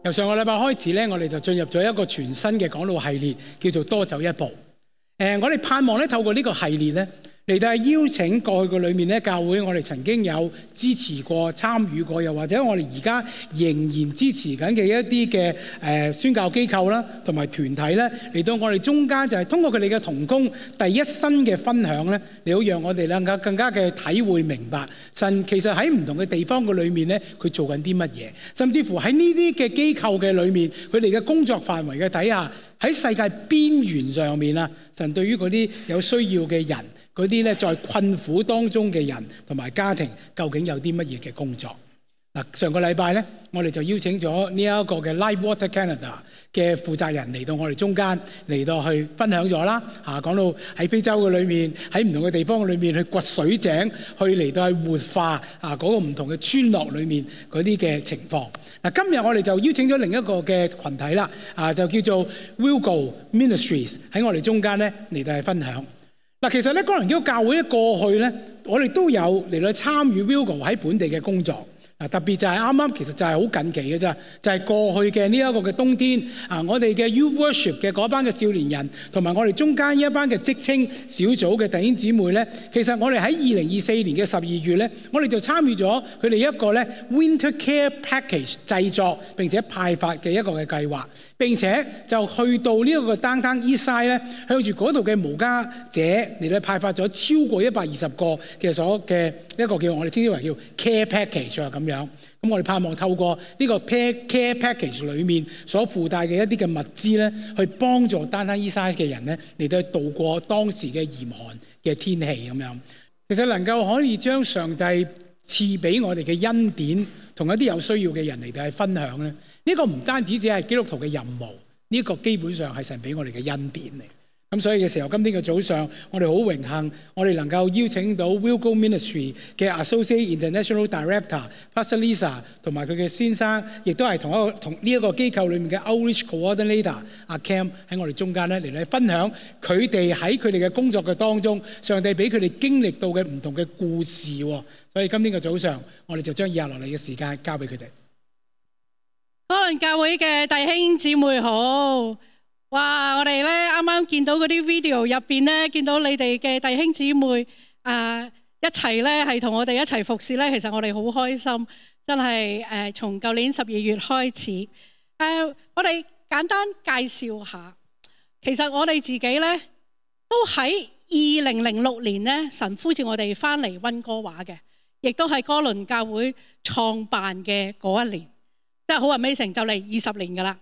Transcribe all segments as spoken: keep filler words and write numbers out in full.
由上個禮拜開始咧，我哋就進入咗一個全新嘅講道系列，叫做多走一步。誒，我哋盼望咧透過呢個系列咧，嚟到係邀請過去嘅裏面咧，教會我哋曾經有支持過、參與過，又或者我哋而家仍然支持緊嘅一啲嘅誒宣教機構啦，同埋團體咧，嚟到我哋中間就係通過佢哋嘅同工第一身嘅分享咧，嚟到讓我哋能夠更加嘅體會明白神其實喺唔同嘅地方嘅裏面咧，佢做緊啲乜嘢，甚至乎喺呢啲嘅機構嘅裏面，佢哋嘅工作範圍嘅底下，喺世界邊緣上面啊，神對於嗰啲有需要嘅人，嗰啲咧在困苦當中嘅人同埋家庭，究竟有啲乜嘢嘅工作？嗱，上個禮拜咧，我哋就邀請咗呢一個嘅 Life Water Canada 嘅負責人嚟到我哋中間，嚟到去分享咗啦。嚇，講到喺非洲嘅裏面，喺唔同嘅地方嘅裏面去掘水井，去嚟到去活化啊嗰個唔同嘅村落裏面嗰啲嘅情況。嗱，今日我哋就邀請咗另一個嘅群體啦，啊，就叫做 Wilgo Ministries 喺我哋中間咧嚟到去分享。嗱，其實咧，哥倫基督教會咧過去咧，我哋都有嚟到參與 Wilgo 喺本地嘅工作。嗱，特別就係啱啱，其實就係好近期嘅啫，就係、是、過去嘅呢一個嘅冬天啊，我哋嘅 Youth Worship 嘅嗰班嘅少年人，同埋我哋中間一班嘅職青小組嘅弟兄姊妹咧，其實我哋喺二零二四年嘅十二月咧，我哋就參與咗佢哋一個咧 Winter Care Package 製作並且派發嘅一個嘅計劃，並且就去到呢一個 Downtown Eastside 咧，向住嗰度嘅無家者嚟到派發咗超過一百二十個嘅所嘅一個叫我哋稱之為叫 Care Package 啊咁樣。咁我哋盼望透過呢個 Care Package 裏面所附帶嘅一啲嘅物資咧，去幫助Downtown Eastside嘅人咧嚟到度過當時嘅嚴寒嘅天氣咁樣。其實能夠可以將上帝賜俾我哋嘅恩典，同一啲有需要嘅人嚟到去分享咧，呢、這個唔單止只係基督徒嘅任務，呢、這個基本上係神俾我哋嘅恩典嚟。咁所以嘅時候，今天嘅早上，我哋好榮幸，我哋能夠邀請到 Wilgo Ministry 嘅 Associate International Director Pastor Lisa 同埋佢嘅先生，亦都係同一個同呢一個機構裏面嘅 Outreach Coordinator 阿 Cam 喺我哋中間咧嚟嚟分享佢哋喺佢哋嘅工作嘅當中，上帝俾佢哋經歷到嘅唔同嘅故事。所以今天嘅早上，我哋就將以下落嚟嘅時間交俾佢哋。哥倫教會嘅弟兄姊妹好。哇！我哋咧啱啱見到嗰啲 video 入邊咧，見到你哋嘅弟兄姊妹啊、呃、一齊咧係同我哋一齊服侍咧，其實我哋好開心，真係誒、呃、從舊年十二月開始誒、呃，我哋簡單介紹下，其實我哋自己咧都喺二零零六年咧，神呼召我哋翻嚟溫哥華嘅，亦都係哥倫教會創辦嘅嗰一年，真係好 amazing，就嚟二十年噶啦。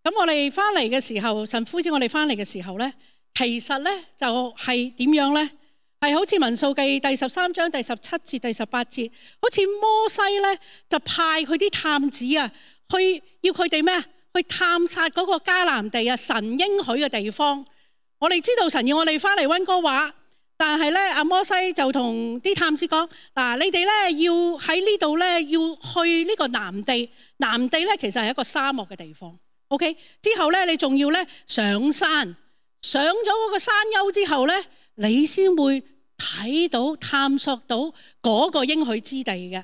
咁我哋翻嚟嘅時候，神呼召我哋翻嚟嘅時候咧，其實咧就係點樣咧？係好似民數記第十三章第十七節、第十八節，好似摩西咧就派佢啲探子啊，去要佢哋咩啊？去探察嗰個迦南地啊，神應許嘅地方。我哋知道神要我哋翻嚟溫哥華，但係咧阿摩西就同啲探子講：嗱，你哋咧要喺呢度咧要去呢個南地，南地咧其實係一個沙漠嘅地方。OK， 之後咧，你仲要咧上山，上咗嗰個山丘之後咧，你先會睇到、探索到嗰個應許之地嘅。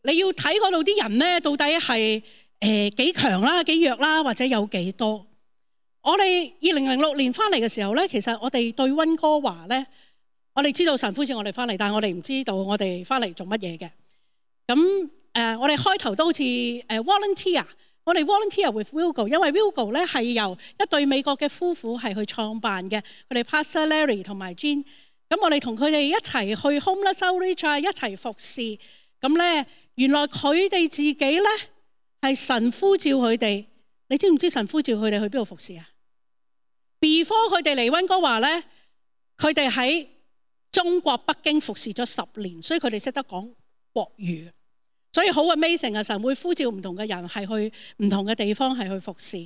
你要睇嗰度啲人咧，到底係誒幾強啦、幾弱啦，或者有幾多？我哋二零零六年翻嚟嘅時候咧，其實我哋對溫哥華咧，我哋知道神呼召我哋翻嚟，但係我哋唔知道我哋翻嚟做乜嘢嘅。咁誒、呃，我哋開頭都好似誒 volunteer。我哋 volunteer with Wilgo， 因為 Wilgo 咧係由一對美國嘅夫婦係去創辦嘅，佢哋 Pastor Larry 同埋 Jean， 咁我哋同佢哋一齊去 homeless outreach 一齊服侍。咁咧原來佢哋自己咧係神呼召佢哋，你知唔知神呼召佢哋去邊度服侍啊 ？Before 佢哋嚟溫哥華咧，佢哋喺中國北京服侍咗十年，所以佢哋識得講國語。所以好 amazing 啊！神會呼召唔同嘅人係去唔同嘅地方係去服侍。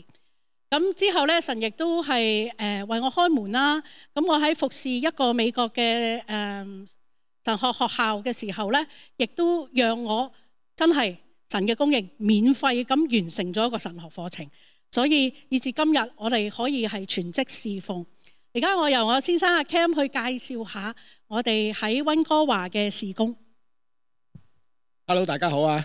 咁之後咧，神亦都係誒、呃、為我開門啦。咁我喺服侍一個美國嘅誒、呃、神學學校嘅時候咧，亦都讓我真係神嘅供應免費咁完成咗一個神學課程。所以以至今日我哋可以係全職侍奉。而家我由我先生阿 Cam 去介紹下我哋喺溫哥華嘅事工。Hello， 大家好啊！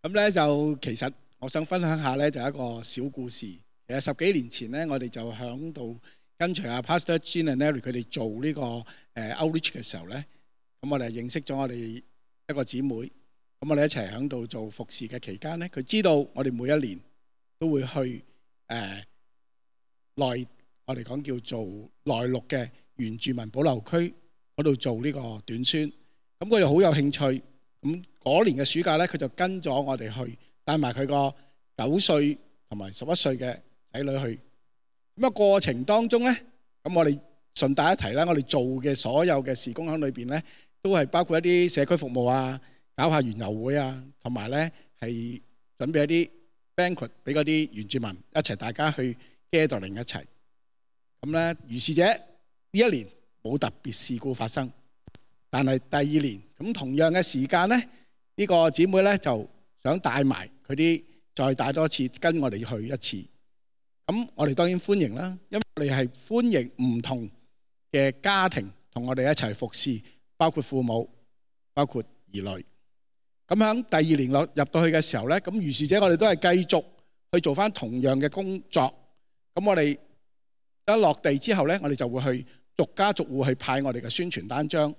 咁咧就其實我想分享下咧，就係一個小故事。其實十幾年前咧，我哋就響度跟隨阿 Pastor Jean and Larry 佢哋做呢個誒 outreach 嘅時候咧，咁我哋認識咗我哋一個姊妹，咁我哋一齊響度做服侍嘅期間咧，佢知道我哋每一年都會去誒、呃、內我哋講叫做內陸嘅原住民保留區嗰度做呢個短宣，咁佢又好有興趣。咁嗰年嘅暑假咧，佢就跟咗我哋去，帶埋佢個九歲同埋十一歲嘅仔女去。咁啊過程當中咧，咁我哋順帶一提啦，我哋做嘅所有嘅事工喺裏邊咧，都係包括一啲社區服務啊，搞下園遊會啊，同埋咧係準備一啲 banquet 俾嗰啲原住民一齊大家去 gathering 一齊。咁咧，如是者呢一年冇特別事故發生。但係第二年咁同樣嘅時間咧，呢個姊妹咧就想帶埋佢啲，再帶多次跟我哋去一次。咁我哋當然歡迎啦，因為我哋係歡迎唔同嘅家庭同我哋一齊服侍，包括父母，包括兒女。咁喺第二年落入到去嘅時候咧，咁如是者我哋都係繼續去做翻同樣嘅工作。咁我哋一落地之後咧，我哋就會去逐家逐戶去派我哋嘅宣傳單張。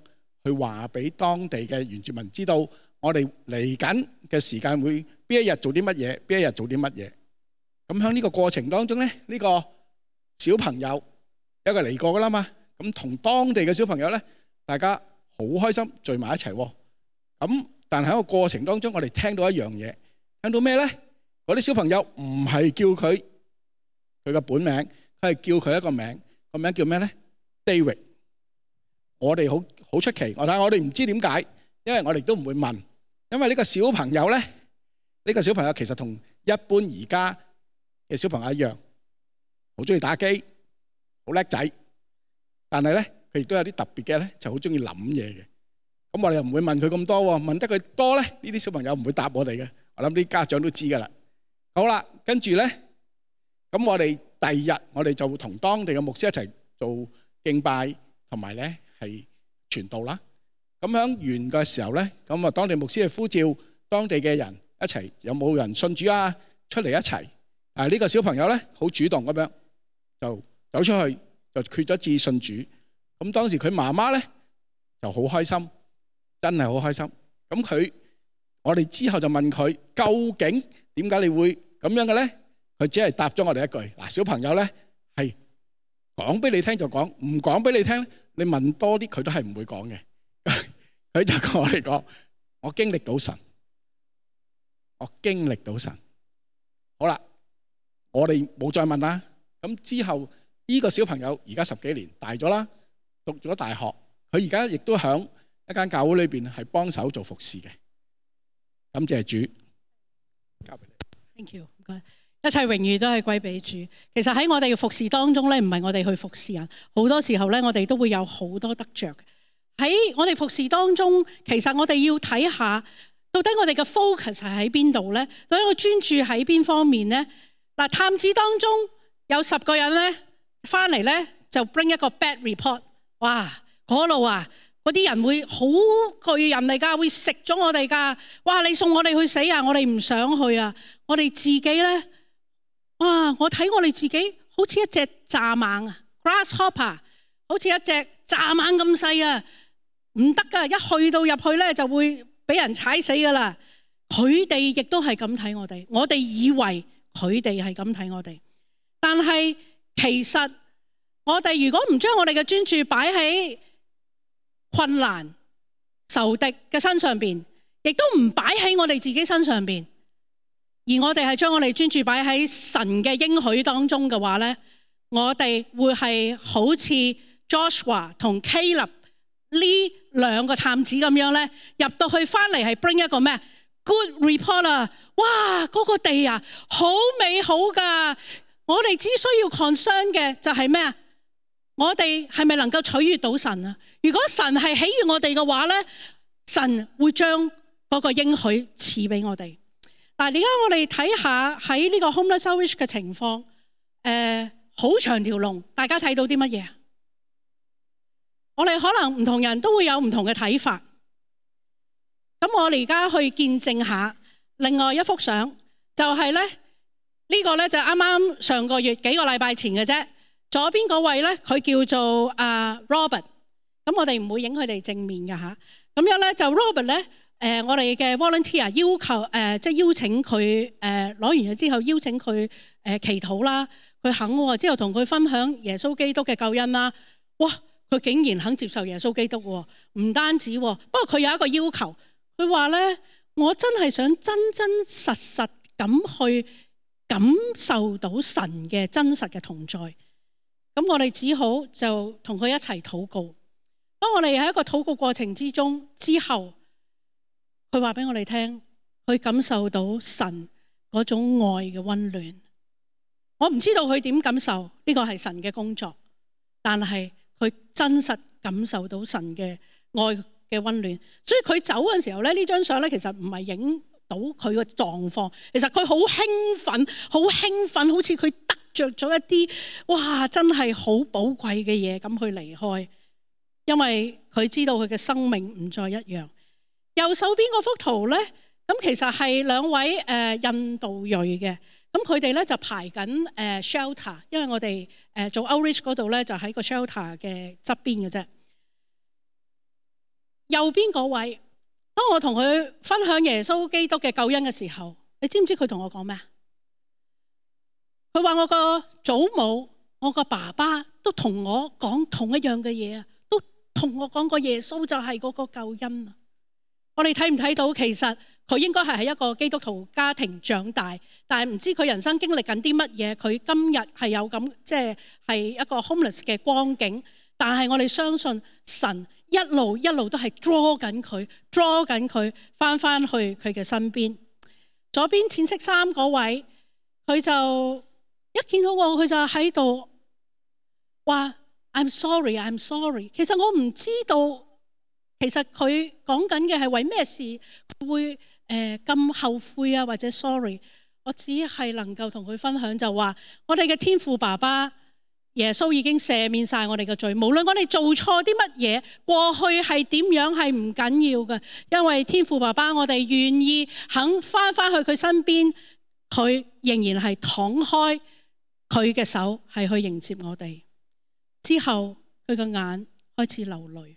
去話俾當地嘅原住民知道，我哋嚟緊嘅時間會邊一日做啲乜嘢，邊一日做啲乜嘢。咁喺呢個過程當中咧，呢個小朋友有個嚟過噶啦嘛，咁同當地嘅小朋友咧，大家好開心聚埋一齊。咁但係喺個過程當中，我哋聽到一樣嘢，聽到咩咧？嗰啲小朋友唔係叫佢佢嘅本名，佢係叫佢一個名，個名叫咩咧 ？David。我哋好好出奇，我睇我哋唔知點解，因為我哋都唔會問，因為呢個小朋友咧，呢個小朋友其實同一般而家嘅小朋友一樣，好中意打機，好叻仔，但係咧佢亦都有啲特別嘅咧，就好中意諗嘢嘅。咁我哋又唔會問佢咁多喎，問得佢多咧，呢啲小朋友唔會答我哋嘅。我諗啲家長都知噶啦。好啦，跟住咧，咁我哋第二日我哋就會同當地嘅牧師一齊做敬拜，同埋咧。係傳道啦，咁響完嘅時候咧，咁啊當地牧師係呼召當地嘅人一齊，有冇人信主啊？出嚟一齊。啊呢個小朋友咧好主動咁樣就走出去，就決咗志信主。咁當時佢媽媽咧就好開心，真係好開心。咁佢我哋之後就問佢究竟點解你會咁樣嘅咧？佢只係答咗我哋一句：嗱，小朋友咧係講俾你聽就講，唔講俾你聽咧。你問多啲，佢都係唔會講嘅。佢就同我哋講：我經歷到神，我經歷到神。好啦，我哋冇再問啦。咁之後呢個小朋友而家十幾年大咗啦，讀咗大學，佢而家亦都喺一間教會裏邊係幫手做服侍嘅。感謝主，交俾你。Thank you，唔該。一切榮譽都係歸俾主。其實喺我哋嘅服侍當中咧，唔係我哋去服侍人，好多時候咧，我哋都會有好多得着。喺我哋服侍當中，其實我哋要睇下，到底我哋嘅 focus 係喺邊度咧？到底我專注喺邊方面咧？嗱，探子當中有十個人咧，翻嚟咧就 bring 一個 bad report。哇，嗰度啊，嗰啲人會好巨人嚟㗎，會食咗我哋㗎。哇，你送我哋去死啊！我哋唔想去啊！我哋自己咧。哇！我睇我哋自己好似一隻蚱蜢啊 ，grasshopper， 好似一隻蚱蜢咁細啊，唔得噶！一去到入去咧，就會俾人踩死噶啦。佢哋亦都係咁睇我哋，我哋以為佢哋係咁睇我哋，但係其實我哋如果唔將我哋嘅專注擺喺困難、仇敵嘅身上邊，亦都唔擺喺我哋自己身上邊。而我哋係將我哋專注擺喺神嘅應許當中嘅話咧，我哋會係好似 Joshua 同 Caleb 呢兩個探子咁樣咧，入到去翻嚟係 bring 一個咩 good report 啊！哇，嗰個地啊，好美好噶！我哋只需要 concern 嘅就係咩啊？我哋係咪能夠取悅到神啊？如果神係喜悅我哋嘅話咧，神會將嗰個應許賜俾我哋。嗱，而家我哋睇下喺呢個 homeless outreach 嘅情況，誒、呃，好長條龍，大家睇到啲乜嘢？我哋可能唔同人都會有唔同嘅睇法。咁我哋而家去見證下另外一幅相，就係咧呢個咧就啱啱上個月幾個禮拜前嘅啫。左邊嗰位咧佢叫做啊 Robert， 咁我哋唔會影佢哋正面嘅嚇。咁樣咧就 Robert 咧誒、呃、我哋嘅 volunteer 要求誒、呃、即係邀請佢誒攞完嘢之後邀請佢誒、呃、祈禱啦，佢肯喎，之後同佢分享耶穌基督嘅救恩啦。哇！佢竟然肯接受耶穌基督喎，唔單止喎，不過佢有一個要求，佢話咧我真係想真真實實咁去感受到神嘅真實嘅同在。咁我哋只好就同佢一齊禱告。當我哋喺一個禱告過程之中之後，佢話俾我哋聽，佢感受到神嗰種愛嘅溫暖。我唔知道佢點感受，呢個係神嘅工作，但係佢真實感受到神嘅愛嘅溫暖。所以佢走嘅時候咧，呢張相咧其實唔係影到佢嘅狀況，其實佢好興奮，好興奮，好似佢得着咗一啲哇，真係好寶貴嘅嘢咁去離開，因為佢知道佢嘅生命唔再一樣。右手邊嗰幅圖咧，咁其實係兩位誒、呃、印度裔嘅，咁佢哋咧就排緊誒、呃、shelter， 因為我哋誒、呃、做 outreach 嗰度咧就喺個 shelter 嘅側邊嘅啫。右邊嗰位，當我同佢分享耶穌基督嘅救恩嘅時候，你知唔知佢同我講咩啊？佢話我個祖母、我個爸爸都同我講同一樣嘅嘢啊，都同我講過耶穌就係嗰個救恩啊！我哋睇唔睇到？其實佢應該係喺一個基督徒家庭長大，但係唔知佢人生經歷緊啲乜嘢。佢今日係有咁即係係一個 homeless 嘅光景，但係我哋相信神一路一路都係 draw 緊佢，draw 緊佢翻翻去佢嘅身邊。左邊淺色衫嗰位，佢就一見到我，佢就喺度話 I'm sorry, I'm sorry。其實我唔知道。其實佢講緊嘅係為咩事佢會誒咁、呃、後悔啊，或者 sorry。我只係能夠同佢分享就話，我哋嘅天父爸爸耶穌已經赦免晒我哋嘅罪，無論我哋做錯啲乜嘢，過去係點樣係唔緊要嘅，因為天父爸爸我哋願意肯翻翻去佢身邊，佢仍然係敞開佢嘅手係去迎接我哋。之後佢個眼開始流淚。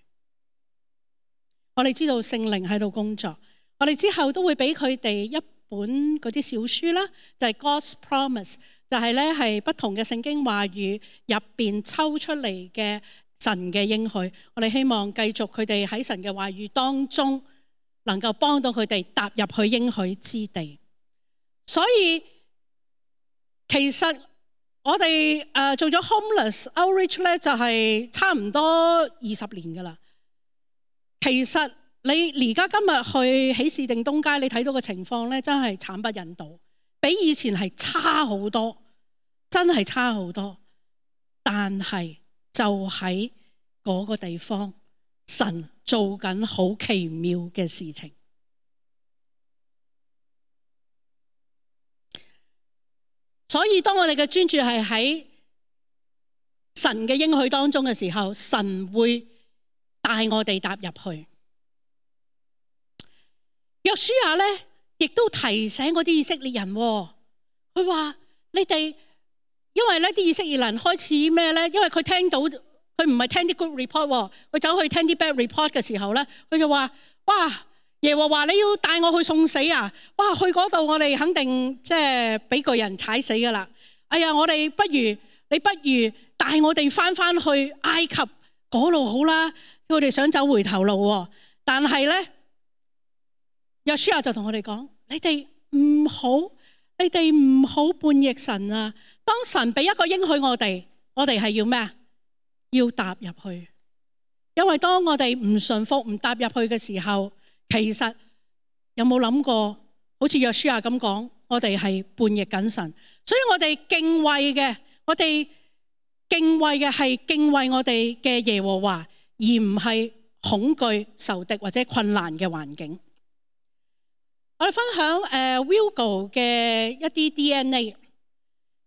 我哋知道聖靈喺度工作，我哋之後都會俾佢哋一本嗰啲小書啦，就係 God's Promise， 就係咧係不同嘅聖經話語入邊抽出嚟嘅神嘅應許。我哋希望繼續佢哋喺神嘅話語當中，能夠幫到佢哋踏入去應許之地。所以其實我哋誒做咗 Homeless Outreach 咧，就係差唔多二十年噶啦。其實你而家今日去喜事定東街，你睇到嘅情況咧，真係慘不忍睹，比以前係差好多，真係差好多。但係就喺嗰個地方，神做緊好奇妙嘅事情。所以當我哋嘅專注係喺神嘅應許當中嘅時候，神會帶我哋踏入去。約書亞咧，亦都提醒嗰啲以色列人，佢話你哋，因為咧啲以色列人開始咩咧？因為佢聽到，佢唔係聽啲 good report， 佢走去聽啲 bad report 嘅時候咧，佢就話：哇，耶和華你要帶我去送死啊！哇，去嗰度我哋肯定即係俾巨人踩死噶啦！哎呀，我哋不如你不如帶我哋翻翻去埃及嗰度好啦。佢哋想走回頭路，但係咧，約書亞就同我哋講：你哋唔好，你哋唔好叛逆神啊！當神俾一個應許我哋，我哋係要咩啊？要踏入去。因為當我哋唔順服、唔踏入去嘅時候，其實有冇諗過？好似約書亞咁講，我哋係叛逆緊神，所以我哋敬畏嘅，我哋敬畏嘅係敬畏我哋嘅耶和華。而唔係恐懼、仇敵或者困難嘅環境。我哋分享誒 Wilgo 嘅一啲 D N A。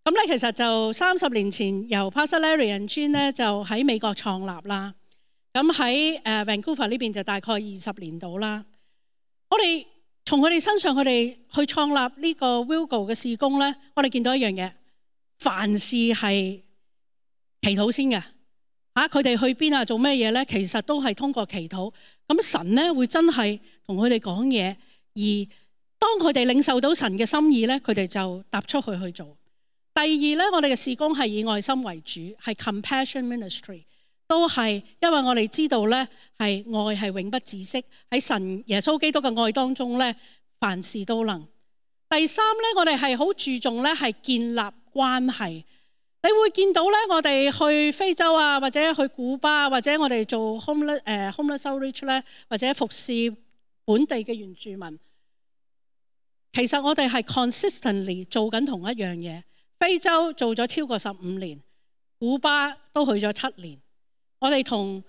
咁咧其實就三十年前由 Pastor Larry and Jean 咧就喺美國創立啦。咁喺誒 Vancouver 呢邊就大概二十年到啦。我哋從佢哋身上，佢哋去創立呢個 Wilgo 嘅事工咧，我哋見到一樣嘢，凡事係祈禱先嘅嚇。佢哋去邊啊，做咩嘢咧？其實都係通過祈禱。咁神咧會真係同佢哋講嘢，而當佢哋領受到神嘅心意咧，佢哋就踏出去去做。第二咧，我哋嘅事工係以愛心為主，係 compassion ministry。都係，因為我哋知道咧，係愛係永不止息，喺神耶穌基督嘅愛當中咧，凡事都能。第三咧，我哋係好注重咧，係建立關係。你會見到咧，我哋去非洲啊，或者去古巴，或者我哋做 homeless 誒 homeless outreach 咧，或者服侍本地嘅原住民。其實我哋係 consistently 做緊同一樣嘢。非洲做咗超過十五年，古巴都去咗七年。我哋同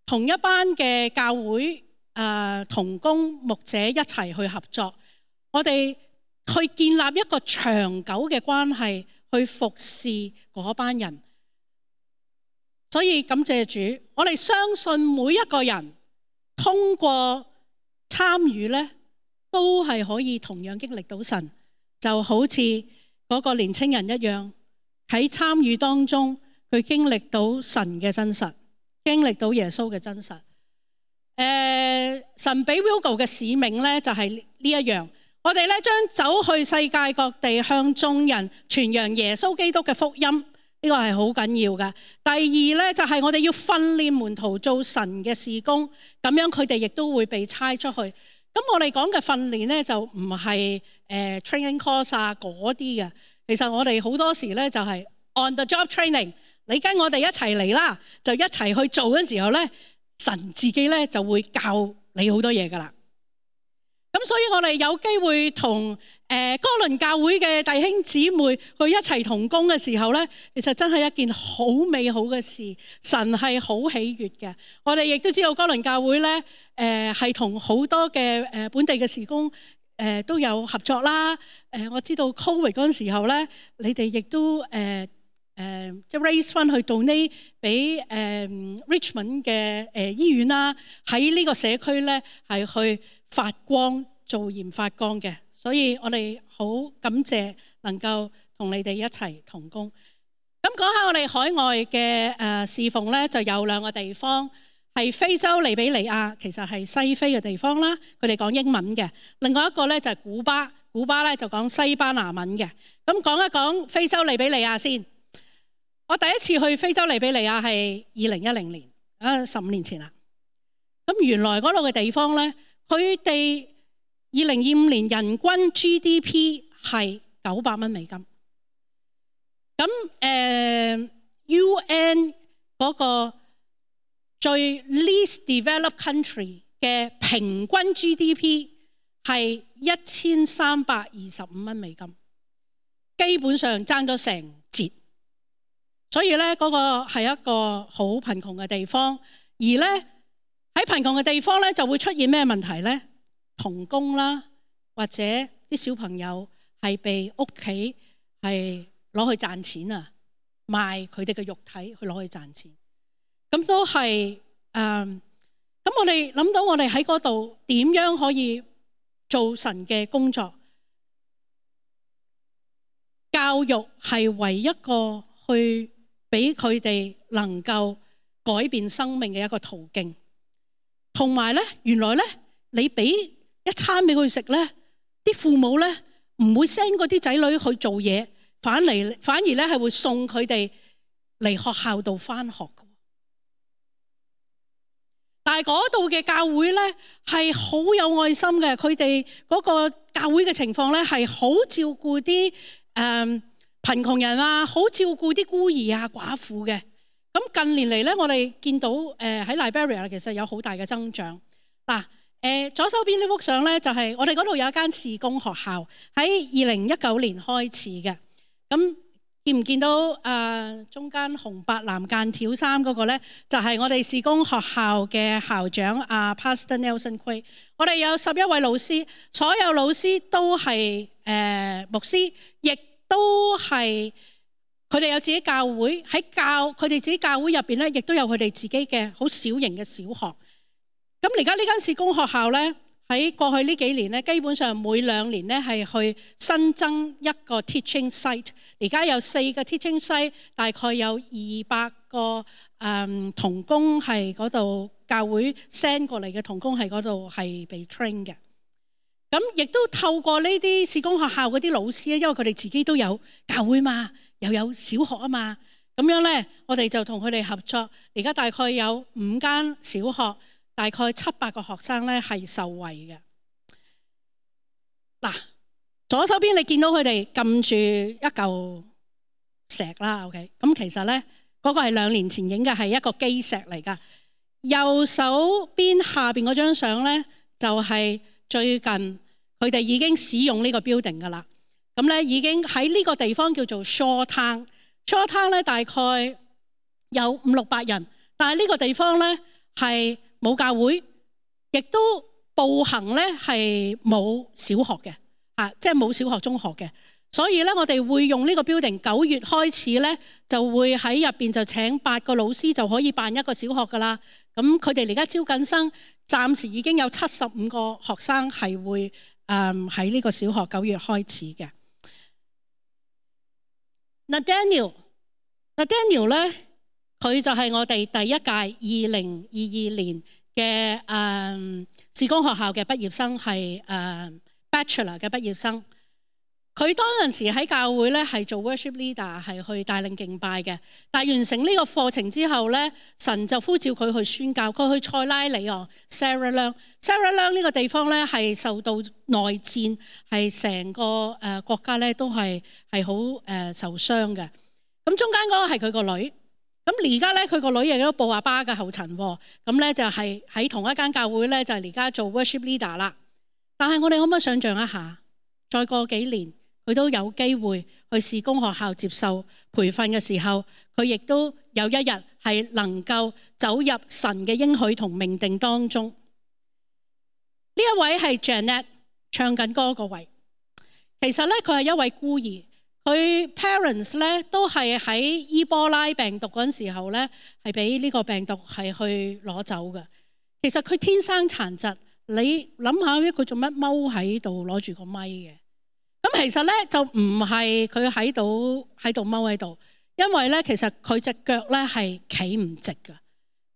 同一班嘅教會啊、呃、同工牧者一齊去合作，我哋去建立一個長久嘅關係，去服侍嗰班人。所以感謝主，我哋相信每一個人通過參與咧，都係可以同樣經歷到神，就好似嗰個年青人一樣，喺參與當中。佢經歷到神嘅真實，經歷到耶穌嘅真實。誒、呃，神俾 Wilgo 嘅使命咧，就係、是、呢一樣。我哋咧將走去世界各地，向眾人傳揚耶穌基督嘅福音，呢、這個係好緊要嘅。第二咧，就係、是、我哋要訓練門徒做神嘅事工，咁樣佢哋亦都會被差出去。咁我哋講嘅訓練咧，就唔係誒 training course 啊嗰啲嘅。其實我哋好多時咧就係、是、on the job training。你跟我哋一齊嚟啦，就一齊去做嘅時候咧，神自己咧就會教你好多嘢噶啦。咁所以我哋有機會同誒哥倫教會嘅弟兄姊妹去一齊同工嘅時候咧，其實真係一件好美好嘅事，神係好喜悅嘅。我哋亦都知道哥倫教會咧，誒係同好多嘅誒本地嘅事工誒都有合作啦。誒我知道 Covid 嗰陣時候咧，你哋亦都誒。誒、呃，即係 raise 翻去 donate 俾誒、呃、Richmond 嘅誒、呃、醫院啦，喺呢個社區咧係去發光做鹽發光嘅，所以我哋好感謝能夠同你哋一齊同工。咁講下我哋海外嘅誒、呃、侍奉咧，就有兩個地方係非洲利比里亞，其實係西非嘅地方啦，佢哋講英文嘅。另外一個咧就係、是、古巴，古巴咧就講西班牙文嘅。咁講一講非洲利比里亞先。我第一次去非洲利比里亞係二零一零年，啊十五年前啦。咁原來嗰度嘅地方咧，佢哋二零二五年人均 G D P 係九百蚊美金。咁誒、呃、U N 嗰個最 least developed country 嘅平均 G D P 係一千三百二十五蚊美金，基本上爭咗成截。所以咧，嗰個係一個好貧窮嘅地方，而咧喺貧窮嘅地方咧，就會出現咩問題咧？童工啦，或者啲小朋友係被屋企係攞去賺錢啊，賣佢哋嘅肉體去攞去賺錢，咁都係誒。咁、呃、我哋諗到我哋喺嗰度點樣可以做神嘅工作？教育係唯一一個去俾佢哋能夠改變生命嘅一個途徑，同埋咧，原來咧，你俾一餐俾佢食咧，啲父母咧唔會 send 嗰啲仔女去做嘢，反嚟反而咧係會送佢哋嚟學校度返學嘅。但係嗰度嘅教會咧係好有愛心嘅，佢哋嗰個教會嘅情況咧係好照顧啲誒。呃貧窮人啊，好照顧啲孤兒啊、寡婦嘅。咁近年嚟咧，我哋見到誒喺 Liberia 其實有好大嘅增長。嗱，誒左手邊呢幅相咧，就係我哋嗰度有一間事工學校，喺二零一九年開始嘅。咁見唔見到啊、呃？中間紅白藍間條衫嗰個咧，就係、是、我哋事工學校嘅校長啊 Pastor Nelson Quay。我哋有十一位老師，所有老師都係誒、呃、牧師，亦都係佢哋有自己教會，喺教佢哋自己教會入邊咧，亦都有佢哋自己嘅好小型嘅小學。咁而家呢間事工學校咧喺過去呢幾年咧，基本上每兩年咧係去新增一個 teaching site。而家有四個 teaching site，大概有二百個誒同工係嗰度，教會 send 過嚟嘅同工係嗰度係被 train 嘅。咁亦都透過呢啲事工學校嗰啲老師咧，因為佢哋自己都有教會嘛，又有小學啊嘛，咁樣咧，我哋就同佢哋合作。而家大概有五間小學，大概七八個學生咧係受惠嘅。嗱，左手邊你見到佢哋撳住一嚿石啦 ，OK？ 咁其實咧嗰個係兩年前影嘅，係一個基石嚟㗎。右手邊下邊嗰張相咧，就係最近佢哋已經使用呢個 building 㗎啦。咁咧已經喺呢個地方叫做 Shaw Town。Shaw Town 咧大概有五六百人，但係呢個地方咧係冇教會，亦都步行咧係冇小學嘅，啊，即係冇小學、中學嘅。所以咧，我哋會用呢個 building，九月開始咧就會喺入邊就請八個老師就可以辦一個小學噶啦。咁佢哋而家招緊生，暫時已經有七十五個學生係會誒喺呢個小學九月開始嘅。嗱 Daniel， 嗱 Daniel 咧，佢就係我哋第一屆二零二二年嘅誒事工學校嘅畢業生，係誒、呃、Bachelor 嘅畢業生。佢當陣時喺教會咧係做 worship leader， 係去帶領敬拜嘅。但係完成呢個課程之後咧，神就呼召佢去宣教。佢去塞拉利昂 Sarah Leung。Sarah Leung 呢個地方咧係受到內戰，係成個誒國家咧都係係好誒受傷嘅。咁中間嗰個係佢個女。咁而家咧佢個女亦都步阿爸嘅後塵喎。咁咧就係喺同一間教會咧就係而家做 worship leader 啦。但係我哋可唔可以想象一下，再過幾年？佢都有機會去事工學校接受培訓嘅時候，佢亦都有一日係能夠走入神嘅應許同命定當中。呢一位係 Janet 唱緊歌嗰位，其實咧佢係一位孤兒，佢 parents 咧都係喺伊波拉病毒嗰陣時候咧係俾呢個病毒係去攞走嘅。其實佢天生殘疾，你諗下咧，佢做乜踎喺度攞住個咪嘅？咁其實咧就唔係佢喺度喺度踎喺度，因為咧其實佢隻腳咧係企唔直㗎，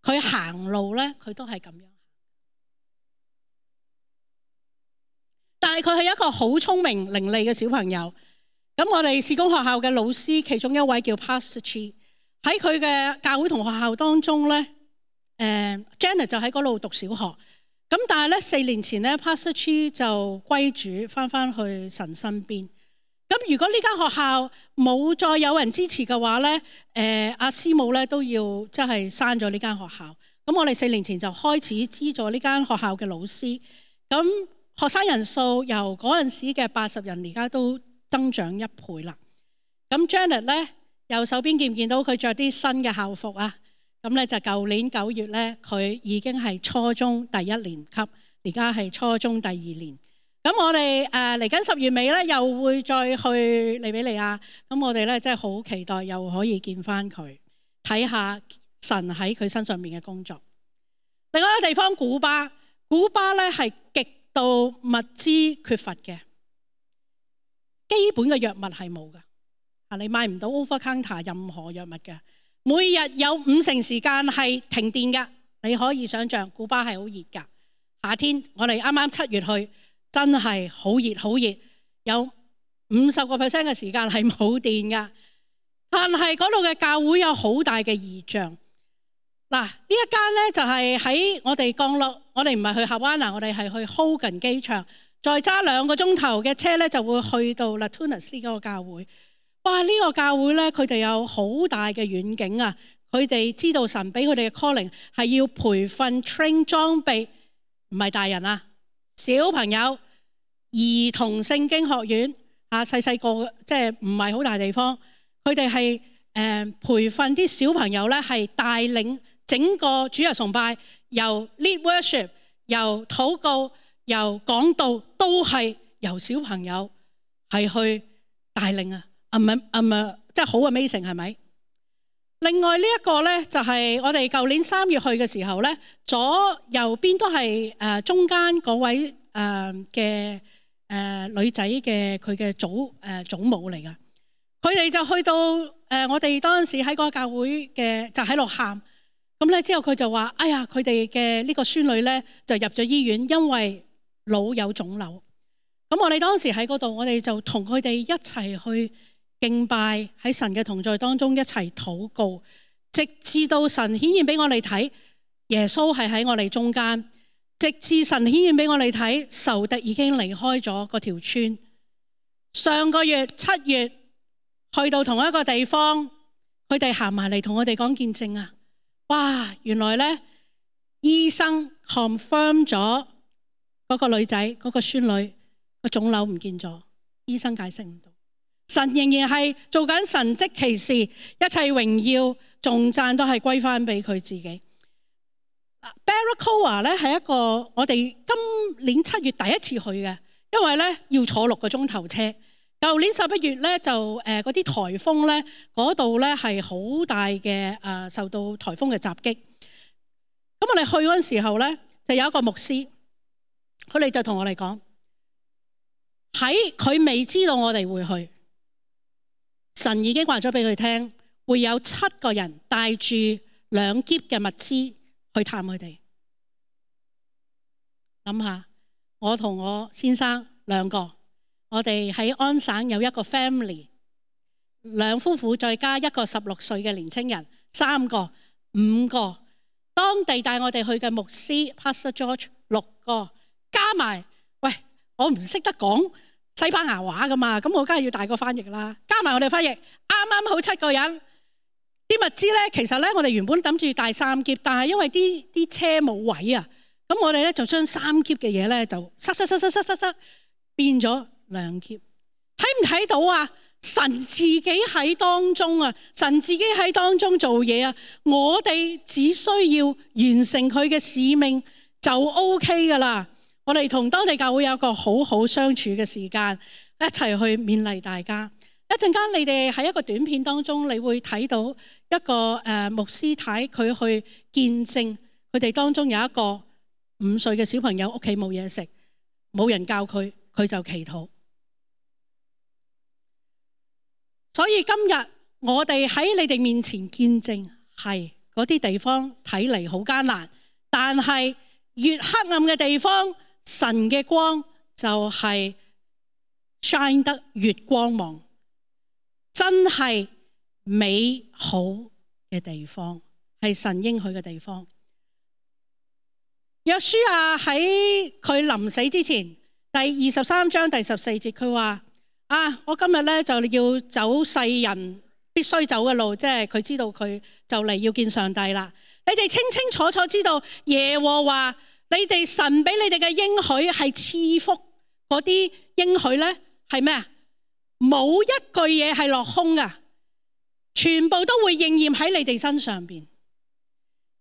佢行路咧佢都係咁樣。但係佢係一個好聰明伶俐嘅小朋友。咁我哋事工學校嘅老師其中一位叫 Pastor Chi， 喺佢嘅教會同學校當中咧，誒、呃、Janet 就喺嗰度讀小學。咁但係咧，四年前咧 Pastor Chi 就歸主翻翻去神身邊。咁如果呢間學校冇再有人支持嘅話咧，誒、呃、阿師母咧都要即係刪咗呢間學校。咁我哋四年前就開始資助呢間學校嘅老師。咁學生人數由嗰陣時嘅八十人，而家都增長一倍啦。咁 Janet 咧，右手邊見唔見到佢着啲新嘅校服啊？咁咧就舊年九月咧，佢已經係初中第一年級，而家係初中第二年。咁我哋誒嚟緊十月尾咧，又會再去利比里亞。咁我哋咧真係好期待，又可以見翻佢，睇下神喺佢身上面嘅工作。另外一個地方古巴，古巴咧係極度物資缺乏嘅，基本嘅藥物係冇㗎。啊，你買唔到 over counter 任何藥物嘅。每日有五成時間係停電㗎，你可以想象古巴係好熱㗎。夏天我哋啱啱七月去，真係好熱好熱，有五十個 percent 嘅時間係冇電㗎。但係嗰度嘅教會有好大嘅異象。嗱，呢一間咧就係喺我哋降落，我哋唔係去夏灣拿，我哋係去 Hogan 機場，再揸兩個鐘頭嘅車咧就會去到 Latunas 呢個教會。哇！呢個教會咧，佢哋有好大嘅遠景啊！佢哋知道神俾佢哋嘅 calling 係要培訓 train 裝備，唔係大人啊，小朋友兒童聖經學院啊，細細個即係唔係好大地方。佢哋係誒培訓啲小朋友咧，係帶領整個主日崇拜，由 lead worship、由禱告、由講道，都係由小朋友係去帶領啊！啊唔啊唔啊，即係好 amazing 係咪？另外呢一個咧，就係我哋舊年三月去嘅時候咧，左右邊都係誒中間嗰位誒嘅誒女仔嘅佢嘅祖誒祖母嚟噶。佢哋就去到誒我哋當時喺嗰個教會嘅，就喺度喊。咁咧之後佢就話：哎呀，佢哋嘅呢個孫女咧就入咗醫院，因為腦有腫瘤。咁我哋當時喺嗰度，我哋就同佢哋一齊去敬拜，喺神嘅同在當中一齊禱告，直至到神顯現俾我哋睇耶穌係喺我哋中間，直至神顯現俾我哋睇仇敵已經離開咗嗰條村。上個月七月去到同一個地方，佢哋行埋嚟同我哋講見證啊！哇，原來咧醫生 confirm 咗嗰個女仔嗰個孫女個腫瘤唔見咗，醫生解釋唔到。神仍然係做緊神蹟奇事，一切榮耀頌讚都係歸翻俾佢自己。Barracoa 咧係一個我哋今年七月第一次去嘅，因為咧要坐六個鐘頭車。舊年十一月咧就誒嗰啲颱風咧嗰度咧係好大嘅誒、呃、受到颱風嘅襲擊。咁我哋去嗰陣時候咧就有一個牧師，佢哋就同我哋講，喺佢未知道我哋會去，神已經話咗俾佢聽，會有七個人帶住兩篋嘅物資去探佢哋。諗下，我同我先生兩個，我哋喺安省有一個 family， 兩夫婦再加一個十六歲嘅年青人，三個、五個，當地帶我哋去嘅牧師 Pastor George 六個，加埋，喂，我唔識得講西班牙話噶嘛，咁我梗係要帶個翻譯啦。加埋我哋翻譯，啱啱好七個人。啲物資咧，其實咧我哋原本諗住帶三篋，但係因為啲啲車冇位啊，咁我哋咧就將三篋嘅嘢咧就塞塞塞塞塞塞塞變咗兩篋。睇唔睇到啊？神自己喺當中啊，神自己喺當中做嘢啊，我哋只需要完成佢嘅使命就 OK 噶啦。我哋同當地教會有一個好好相處嘅時間，一齊去勉勵大家。一陣間你哋喺一個短片當中，你會睇到一個誒、呃、牧師太佢去見證佢哋當中有一個五歲嘅小朋友屋企冇嘢食，冇人教佢，佢就祈禱。所以今日我哋喺你哋面前見證，係嗰啲地方睇嚟好艱難，但係越黑暗嘅地方，神嘅光就係 shine 得越光芒，真係美好嘅地方，係神應許嘅地方。約書亞喺佢臨死之前，第二十三章第十四節，佢話：啊，我今日咧就要走世人必須走嘅路，即係佢知道佢就嚟要見上帝啦。你哋清清楚楚知道耶和華，你哋神俾你哋嘅應許係賜福，嗰啲應許咧係咩啊？冇一句嘢係落空噶，全部都會應驗喺你哋身上邊。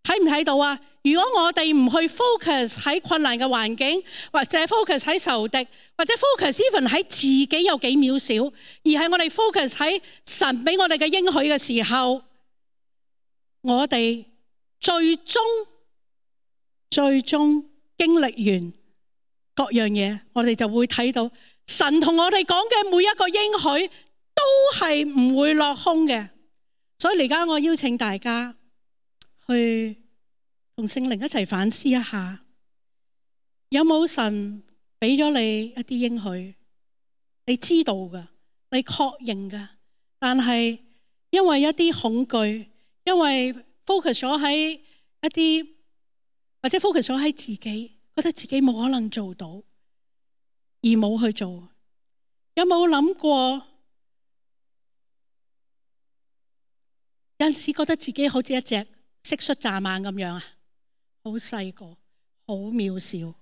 睇唔睇到啊？如果我哋唔去 focus 喺困難嘅環境，或者 focus 喺仇敵，或者 focus even 喺自己有幾渺小，而係我哋 focus 喺神俾我哋嘅應許嘅時候，我哋最終最終經歷完各樣嘢，我哋就會睇到神同我哋講嘅每一個應許都係唔會落空嘅。所以而家我邀請大家去同聖靈一齊反思一下，有冇神俾咗你一啲應許？你知道噶，你確認噶，但係因為一啲恐懼，因為 focus 咗喺一啲，或者 focus 咗喺自己，覺得自己冇可能做到，而冇去做。有冇諗過？有陣時覺得自己好似一隻蟋蟀蚱蜢咁樣啊，好細個，好渺小。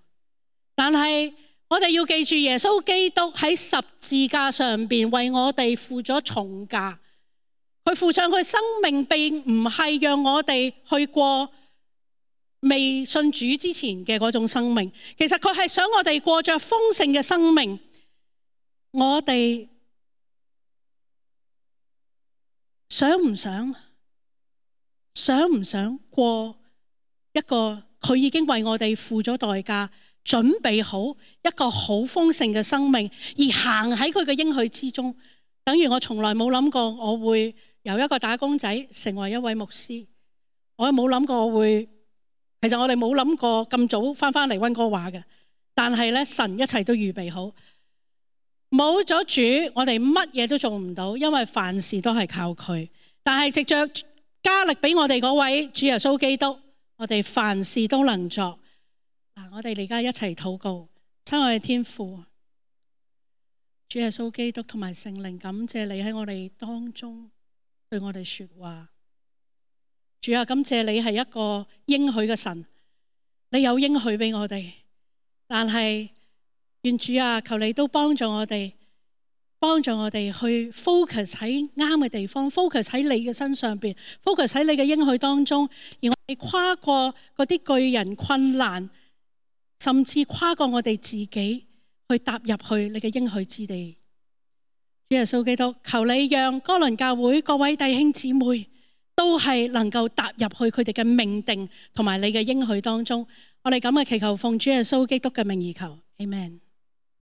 但係我哋要記住，耶穌基督喺十字架上邊為我哋付咗重價。佢付上佢生命，並唔係讓我哋去過未信主之前嘅嗰種生命。其實佢係想我哋過着豐盛嘅生命。我哋想唔想想唔想過一個佢已經為我哋付咗代價，準備好一個好豐盛嘅生命，而行喺佢嘅應許之中？等於我從來冇諗過我會由一個打工仔成為一位牧師，我冇諗過我會，其實我哋冇諗過咁早翻返嚟溫哥華嘅，但係咧神一切都預備好。冇咗主，我哋乜嘢都做唔到，因為凡事都係靠佢。但係藉着加力俾我哋嗰位主耶穌基督，我哋凡事都能作。嗱，我哋而家一齊禱告。親愛嘅天父，主耶穌基督同埋聖靈，感謝你喺我哋當中對我哋說話。主啊，感謝你係一個應許嘅神，你有應許俾我哋，但係願主啊，求你都幫助我哋，幫助我哋去 focus 喺啱嘅地方 ，focus 喺你嘅身上邊 ，focus 喺你嘅應許當中，而我哋跨過嗰啲巨人困難，甚至跨過我哋自己，去踏入去你嘅應許之地。主耶穌基督，求你讓哥倫教會各位弟兄姊妹都係能夠踏入去佢哋嘅命定同埋你嘅應許當中。我哋咁嘅祈求，奉主耶穌基督嘅名而求，Amen。